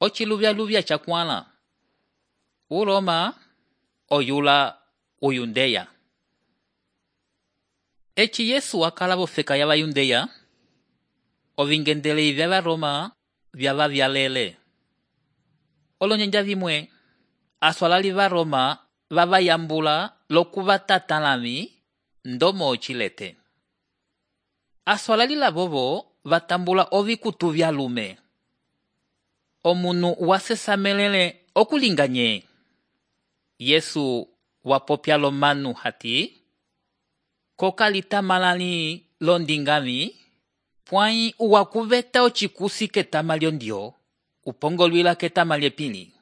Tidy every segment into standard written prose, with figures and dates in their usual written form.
Ociluvya chakwãla. Uroma oyula uyundeya. Eci Yesu akala vofeka ya vayundeya, ovingendelei vya Varoma vyava vyalele. Olonjanja vimwe, aswalali Varoma vavayambula lokuvatatãlami ndomo ocilete. Aswalali lavovo vatambula ovikutu vyalume. Omunu wasesamelele okulinga nye. Yesu wapopya lomanu hati, kokalitamãlali londingami, pwãyi wakuveta ocikusi ketama lyondio, upongolwila ketama lyepili.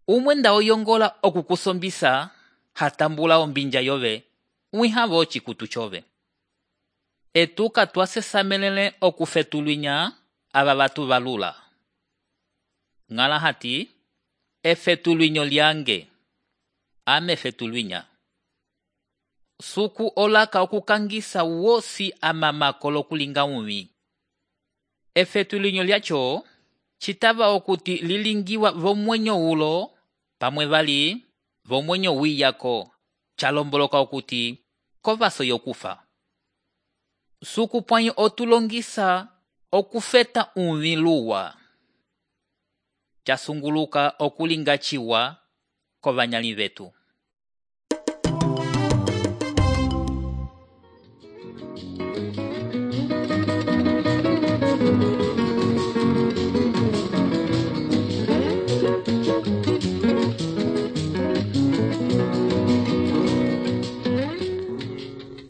Umwenda oyongola okukusombisa, hatambula ombinja yove, wihavo ocikutu chove. Etuka twasesamelele okufetulwinya ava vatu valula. Ngala hati, efetulwinyo lyange, ame fetulwinya. Suku olaka okukangisa wosi amamako lokulinga umi. Efetulwinyo lyacho, citava okuti lilingiwa vomwenyo ulo, pamwe vali, vomwenyo wiyako, chalomboloka okuti, kovaso yokufa. Suku pwãyi otulongisa okufeta umi luwa. Chasunguluka okulinga chiwa kovanyali vetu.